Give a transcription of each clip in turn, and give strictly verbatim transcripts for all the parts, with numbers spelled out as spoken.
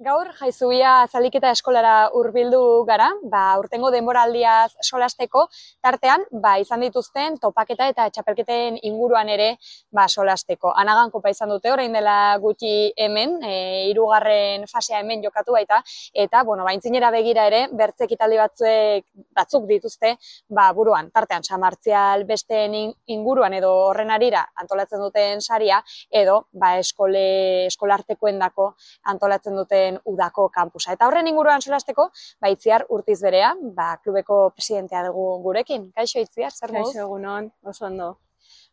Gaur Jaizubia zaliketa eskolara hurbildu gara, ba, urtengo denboraldiaz solasteko, tartean ba, izan dituzten topaketa eta txapelketen inguruan ere ba, solasteko. Anagan kopa izan dute orain dela gutxi hemen, e, hirugarren fasea hemen jokatu baita, eta bueno, ba, aintzinera begira ere, bertze ekitaldi batzuek batzuk dituzte ba, buruan, tartean Samartzial besteen inguruan edo horren arira antolatzen duten saria, edo ba, eskole, eskolartekoendako antolatzen duten udako kampusa. Eta horren inguruan solasteko, ba, Itziar Urtiz berea, ba, klubeko presidentea dugu gurekin. Kaixo Itziar, zer moduz? Kaixo egunon, oso ondo.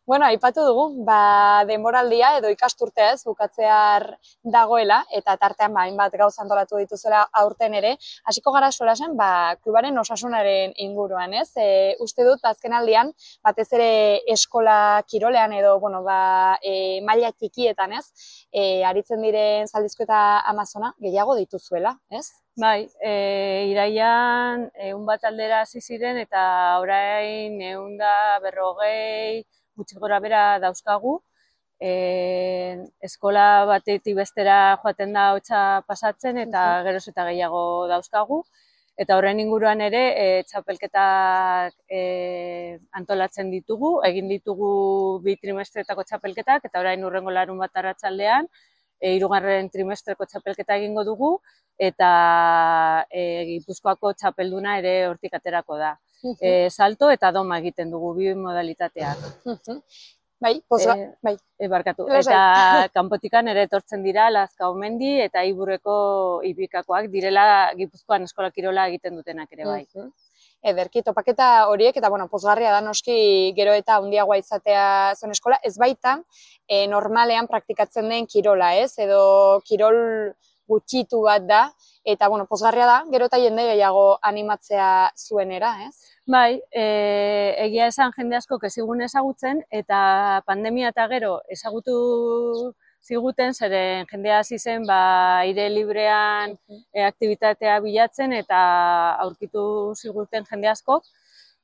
Bueno, aipatu dugu, ba, denboraldia edo ikasturtea ez bukatzear dagoela, eta tartean ba, hainbat gauza antolatu dituzela aurten ere, hasiko gara solasen, ba, klubaren osasunaren inguruan, ez? E, uste dut, azken aldian, batez ere eskola kirolean edo, bueno, ba, e, maila txikietan, ez? E, aritzen diren Zaldizko eta Amazona gehiago dituzuela, ez? Bai, e, iraian ehun bat aldera hasi ziren eta orain ehun da berrogei gutxi gora bera dauzkagu. E, eskola batetik bestera joaten da hotza pasatzen eta geroz eta gehiago dauzkagu. Eta horren inguruan ere e, txapelketak e, antolatzen ditugu, egin ditugu bi trimestretako txapelketak eta orain hurrengo larun bat arratsaldean e, hirugarren trimestreko txapelketa egingo dugu eta e, Gipuzkoako txapelduna ere hortik aterako da. E, salto eta doma egiten dugu bi modalitateak. Bai, pozga, e, bai. E, barkatu. Eta kanpotikan ere etortzen dira Lazkaomendi eta Iburreko Ibikakoak direla Gipuzkoan eskola kirola egiten dutenak ere bai. Ederki, topaketa horiek, eta bueno, pozgarria da noski gero eta handiagoa izatea zuen eskola, ez baita e, normalean praktikatzen den kirola, ez? Edo kirol gutxitu bat da, eta bueno, pozgarria da, gero eta jende gehiago animatzea zuenera, ez? Bai, e, egia esan jende asko ezigun ezagutzen, eta pandemia eta gero ezagutu ziguten, zeren jendea hasi zen ba, aire librean e, aktibitatea bilatzen eta aurkitu ziguten jende askok,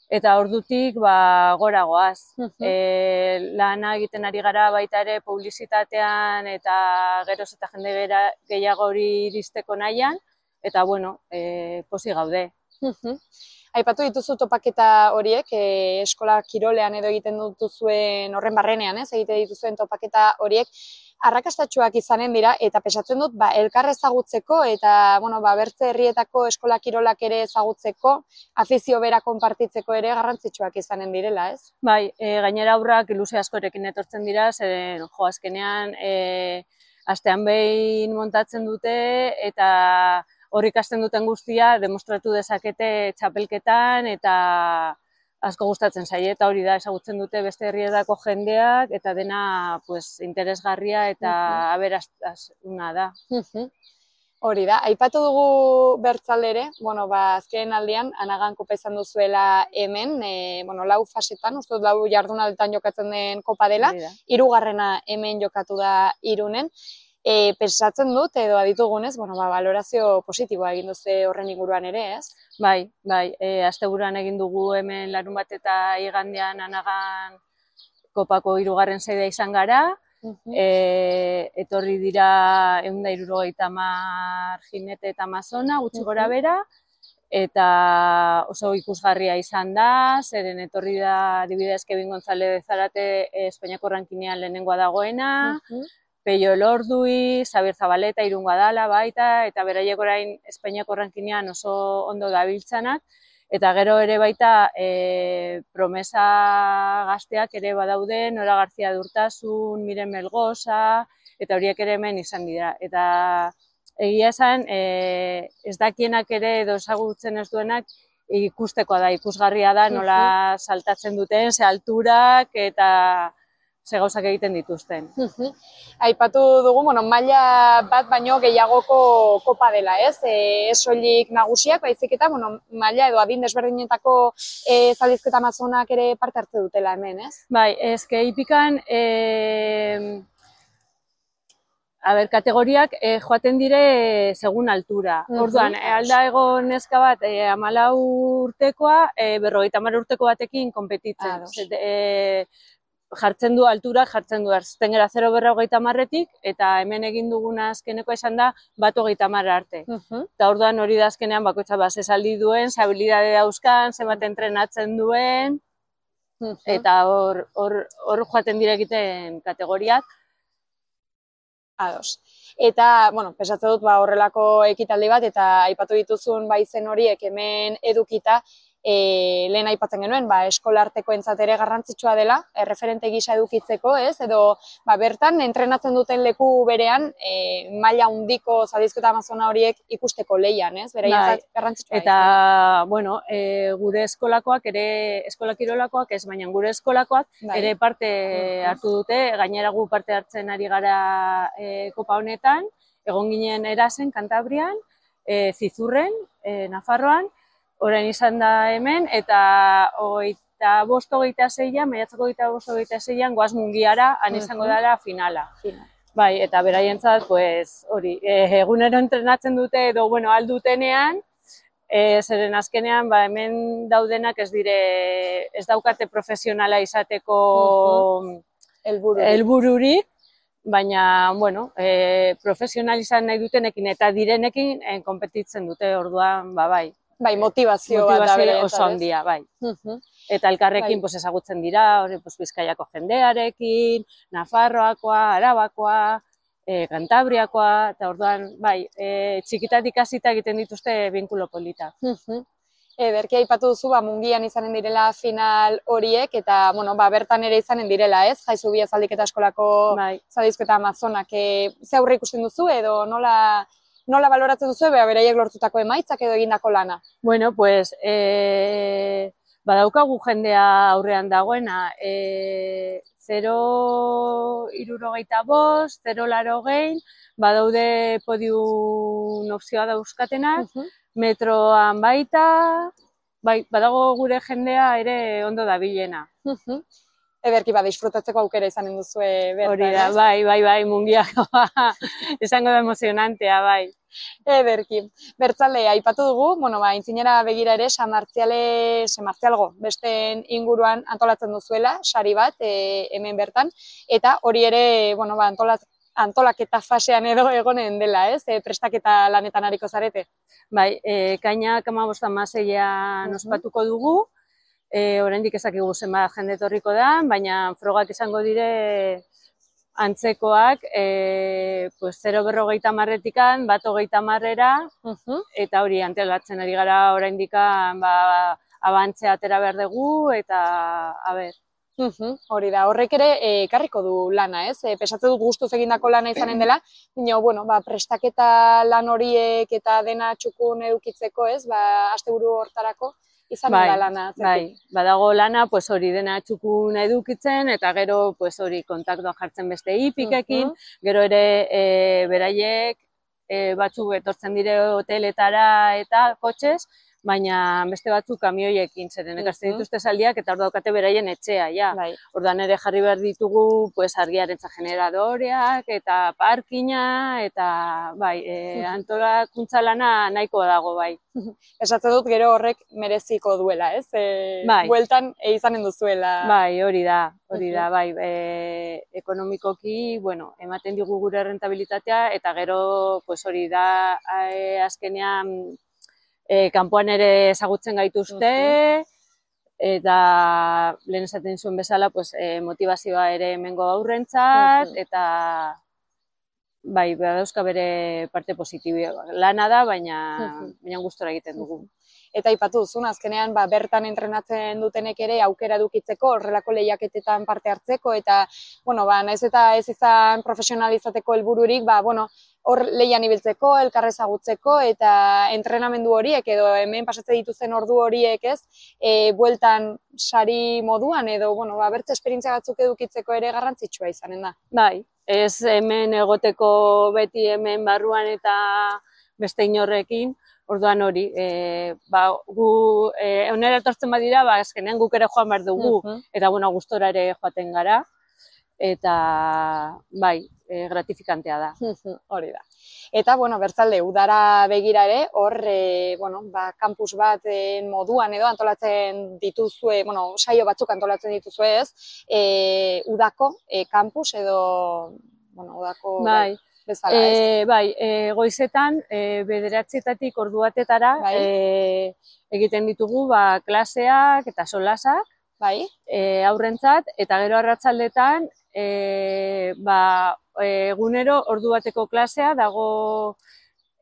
eta ordutik ba, gora goaz. E, lana egiten ari gara baita ere publizitatean eta geroz eta jende gehiago hori iristeko nahian, eta bueno, e, posi gaude. Aipatu dituzu topaketa horiek, e, eskola kirolean edo egiten dituzuen horren barrenean, ez, egite dituzuen topaketa horiek, arrakastatsuak izanen dira, eta pesatzen dut, ba, elkar ezagutzeko, eta, bueno, ba, bertze herrietako eskola kirolak ere ezagutzeko, afizio bera konpartitzeko ere garrantzitsuak izanen direla, ez? Bai, e, gainera aurrak ilusio askorekin etortzen dira, zeren, jo, azkenean, e, astean behin montatzen dute, eta hor ikasten duten guztia demostratu dezakete txapelketan eta asko gustatzen zaie eta hori da ezagutzen dute beste herrietako jendeak eta dena pues, interesgarria eta aberastasuna da. Hori da, aipatu dugu bertzalde ere, bueno, ba, azken aldian Anagan kopa izan duzuela hemen, e, bueno, lau fasetan, uste dut lau jardunaldetan jokatzen den kopa dela, hirugarrena hemen jokatu da Irunen. E, pensatzen dut, edo aditugunez, bueno, ba, valorazio positiboa egin duze horren inguruan ere, ez? Bai, bai, e, asteburuan egin dugu hemen larun bat eta igandean Anagan kopako hirugarren sedea izan gara, e, etorri dira ehun eta hirurogeita hamar jinete eta amazona, gutxi gora bera, eta oso ikusgarria izan da, zeren etorri da adibidez Kevin González Zarate Espainiako rankinean lehenengoa dagoena, Peio Elordui, Xabier Zabaleta, Irungoa dala baita, eta beraiek orain Espainiako rankinean oso ondo dabiltzanak, eta gero ere baita e, promesa gazteak ere badaude, Nora García Durtasun, Miren Melgosa, eta horiek ere hemen izan dira. Eta egia esan, e, ez dakienak ere edo ezagutzen ez duenak, ikustekoa da, ikusgarria da, nola saltatzen duten, ze alturak, eta ze gauzak egiten dituzten. Aipatu dugu, bueno, maila bat baino gehiagoko kopa dela, ez? E, ez soilik nagusiak, baizik eta, bueno, maila edo adin desberdinetako e, Zaldizko eta Amazonak ere parte hartze dutela hemen, ez? Bai, ezke ipikan, e, a ber, kategoriak e, joaten dire segun altura. Orduan, e, alda egon neska bat, e, hamalau urtekoa, e, berrogeita hamar urteko batekin konpetitzen. E, jartzen du alturak, jartzen du erzten gara zero berra hogeita marretik, eta hemen egin duguna azkeneko izan da bat hogeita marra arte. Eta orduan hori da azkenean bakoitza base saldi duen, zabilidade dauzkan, zenbat entrenatzen duen, eta hor joaten dira egiten kategoriak. Ados. Eta, bueno, pesatze dut horrelako ekitaldi bat, eta aipatu dituzun izen horiek hemen edukita, lehen aipatzen genuen, eskolarteko entzat ere garrantzitsua dela, referente gisa edukitzeko, ez? Edo bertan, entrenatzen duten leku berean, maila handiko Zadizko Amazona horiek ikusteko lehian, ez? Beraientzat garrantzitsua. Eta, bueno, gure eskolakoak ere, eskola kirolakoak ez, baina gure eskolakoak ere parte hartu dute, gainera gu parte hartzen ari gara kopa honetan, egon ginen Erasen, Kantabrian, Zizurren, Nafarroan, orain izan da hemen, eta hogeita bost hogeita zeian, maiatzako hogeita bost hogeita zeian, goaz Mungiara, han izango dela finala. Bai, eta beraientzat, hori, egunero entrenatzen dute, edo, bueno, aldutenean, zeren azkenean, hemen daudenak ez dire, ez daukate profesionala izateko helbururik, baina, bueno, profesionalizan nahi dutenekin eta direnekin konpetitzen dute, orduan, ba, bai. Bai, motivazio bat da bere. Oso handia, bai. Eta elkarrekin ezagutzen dira, Bizkaiako jendearekin, Nafarroakoa, Arabakoa, Kantabriakoa, eta orduan, bai, txikitatik hasita egiten dituzte binkulo polita. Berki aipatu duzu, Mungian izanen direla final horiek, eta, bueno, bertan ere izanen direla, ez? Jaizubia Zaldiketa Eskolako Zadizko Amazonak. Ze aurre ikusten duzu, edo nola... Nola baloratzen duzu, beraiek lortutako emaitzak edo egindako lana? Bueno, pues, badaukagu jendea aurrean dagoena, zero hirurogeita bost, zero laurogein, badaude podium opzioa dauzkatenak, metroan baita, badago gure jendea ere ondo dabilena. Ederki, disfrutatzeko aukera izanen duzue bertan, hori da, bai, bai, bai, Mungiakoa, izango da emozionantea, bai. Ederki. Bertzale, aipatu dugu, bueno, ba, intzinera begira ere, San Martziale, San Martzialgo, besteen inguruan antolatzen duzuela, sari bat, hemen bertan, eta hori ere, bueno, ba, antolaketa fasean edo egonen dela, ez? Prestaketa lanetan hariko zarete? Bai, ekainak hamabost hamaseian ospatuko dugu, oraindik ezakigu zenbat jende etorriko da, baina frogak izango dire antzekoak, zero berrogeita hamarretikan, bat hogeita hamarrera, eta hori antolatzen ari gara oraindik abantzea atera behar dugu, eta, a ber. Hori da, horrek ere ekarriko du lana, ez? Pesatze dut gustuz egindako lana izanen dela, baina, bueno, prestaketa lan horiek eta dena txukun edukitzeko, ez? Asteburu hortarako, izan dela lana. Bai, badago lana, hori dena txukun edukitzen, eta gero hori kontaktua jartzen beste hipikekin, gero ere beraiek batzuk etortzen dire hoteletara eta kotxez, baina beste batzuk kamioiekin, zeren ekartzen dituzte zaldiak eta hor daukate beraien etxea, ja. Orduan ere jarri behar ditugu argiarentza generadoreak eta parkina, eta bai, antolakuntza lana nahikoa dago, bai. Esatze dut gero horrek mereziko duela, ez? Bueltan izanen duzuela. Bai, hori da, hori da, bai. Ekonomikoki, bueno, ematen digu gure rentabilitatea, eta gero, hori da, azkenean, kanpoan ere ezagutzen gaituzte, eta lehen esaten zuen bezala motivazioa ere hemengo aurrentzat, eta bai, badauzka bere parte positiboa. Lana da, baina gustora egiten dugu. Eta aipatu duzun, azkenean bertan entrenatzen dutenek ere aukera edukitzeko, horrelako lehiaketetan parte hartzeko, eta, bueno, nahiz eta ez izan profesionalizateko helbururik, bueno, hor lehian ibiltzeko, elkarrezagutzeko, eta entrenamendu horiek, edo hemen pasatze dituzten ordu horiek ez, bueltan sari moduan, edo, bueno, bertze esperientzia batzuk edukitzeko ere garrantzitsua izanen da. Bai, ez hemen egoteko beti hemen barruan eta beste inorrekin, orduan hori, gu onera etortzen badira, azkenean guk ere joan behar dugu, eta gustora ere joaten gara, eta bai, gratifikantea da. Hori da. Eta, bueno, bertzalde, udara begira ere, hor, e, bueno, ba, kampus bat e, moduan edo antolatzen dituzue, bueno, saio batzuk antolatzen dituzue ez, e, udako e, kampus edo, bueno, udako Bai, bezala ez. e, bai e, goizetan, e, bederatzietatik ordu batetara Bai. e, egiten ditugu ba, klaseak eta solasak, Bai. e, aurrentzat, eta gero arratsaldetan e, ba, egunero ordu bateko klasea dago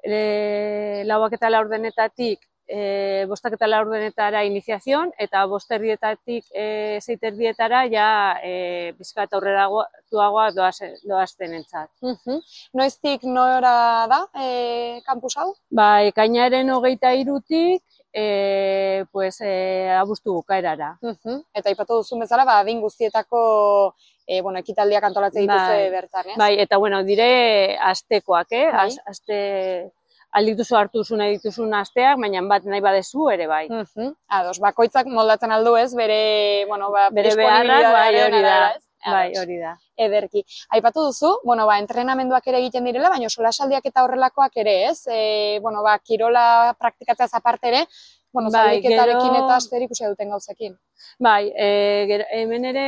e, lauak eta laurdenetatik e, bostak eta laurdenetara iniziazion, eta bosterdietatik e, zeiterdietara ja e, bizkat aurreratuagoa doaztenentzat. Uh-huh. Noiztik nora da e, kampus hau? Ba, ekainaren hogeita hirutik e, pues, e, abuztu bukaerara. Uh-huh. Eta aipatu duzun bezala, ba, adin guztietako e, bueno, ekitaldiak antolatzen dituzue bai, bertan, ez? Bai, eta bueno, dire astekoak, eh? Bai. Az, aste aldituzu hartu duzu nahi dituzun asteak, baina bat nahi badezu ere bai. Uh-huh. Ados, bakoitzak moldatzen aldu ez, bere, bueno, ba, bere beharrak, bai, hori da. Ez? Bai, hori da. Ederki. Aipatu duzu, bueno, ba, entrenamenduak ere egiten direla, baina solasaldiak eta horrelakoak ere, ez? E, bueno, ba, kirola praktikatzeaz aparte ere, bueno, bai, zaliketarekin gero... eta zer ikusia duten gauzekin. Bai, e, gero, hemen ere,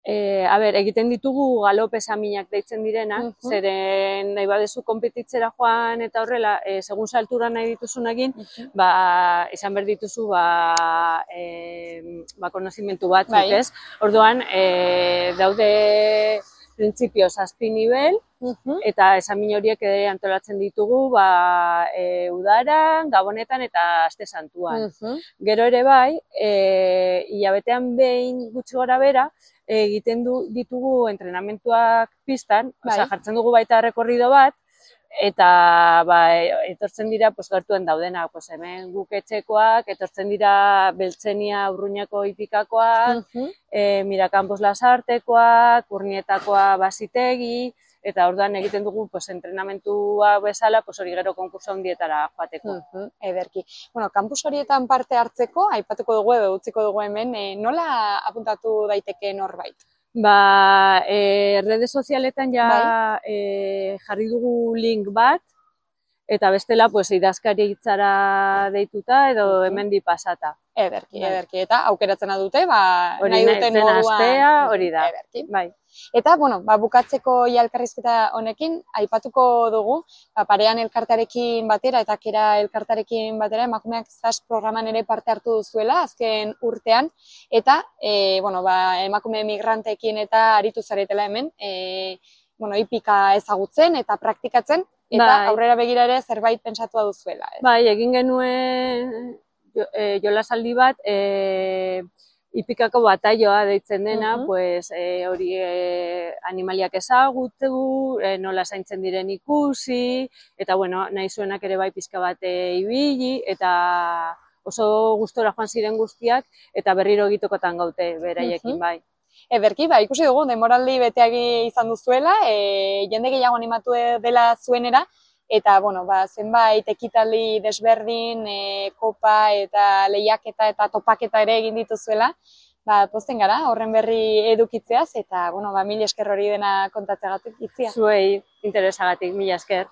e, a ber, egiten ditugu galope esaminak deitzen direnak, uh -huh. zeren nahi badezu konpetitzera joan eta horrela, e, segun saltura nahi dituzun egin, uh -huh. ba, izan behar dituzu, ba, e, ba, konozimentu batzuk, bai. Ez? Orduan, e, daude printzipio zazpi nivel, uh-huh. eta esamin horiek ere antolatzen ditugu ba, e, udaran, gabonetan eta aste santuan. Uh-huh. Gero ere bai, e, hilabetean behin gutxi gora bera, egiten du, ditugu entrenamentuak pistan, bai. Osea, jartzen dugu baita rekorrido bat, eta ba, etortzen dira pues, gertuen daudenak, pues, hemen guk etxekoak, etortzen dira Beltzenia Urruñako hipikakoak, uh-huh. e, Mirakampos Lasartekoak, Urnietakoa Basitegi, eta orduan egiten dugu pues, entrenamentua bezala, pues, hori gero konkurso handietara joateko. Uh-huh. Ederki. Bueno, kampus horietan parte hartzeko, aipatuko dugu edo utziko dugu hemen, e, nola apuntatu daiteke norbait? Ba, e, rede sozialetan ja bai. e, jarri dugu link bat, eta bestela pues, idazkaritzara deituta edo hemendi pasata. Ederki, bai. Ederki. Eta aukeratzen dute, ba, hori nahi duten moduan. Astea, hori da. Ederki. Bai. Eta, bueno, ba, bukatzeko ja elkarrizketa honekin, aipatuko dugu, ba, parean elkartarekin batera eta kera elkartarekin batera, emakumeak zaz programan ere parte hartu duzuela, azken urtean, eta, e, bueno, ba, emakume migranteekin eta aritu zaretela hemen, e, bueno, hipika ezagutzen eta praktikatzen, eta bai. Aurrera begira ere zerbait pentsatua duzuela. Ez? Bai, egin genuen jo, e, jolasaldi bat, e, hipikako bataioa deitzen dena, uh-huh. pues, e, hori e, animaliak ezagutu, e, nola zaintzen diren ikusi, eta bueno, nahi zuenak ere bai pizka bat e, ibili, eta oso gustora joan ziren guztiak, eta berriro egitokotan gaute beraiekin uh-huh. bai. Ederki, ba, ikusi dugu, denboraldi beteagi izan duzuela, e, jende gehiago animatu dela zuenera, eta, bueno, ba, zenbait ekitaldi desberdin, e, kopa eta lehiaketa eta topaketa ere egin dituzuela, ba, pozten gara, horren berri edukitzeaz, eta, bueno, ba, mil esker hori dena kontatzeagatik itzia. Zuei interesagatik, mila esker.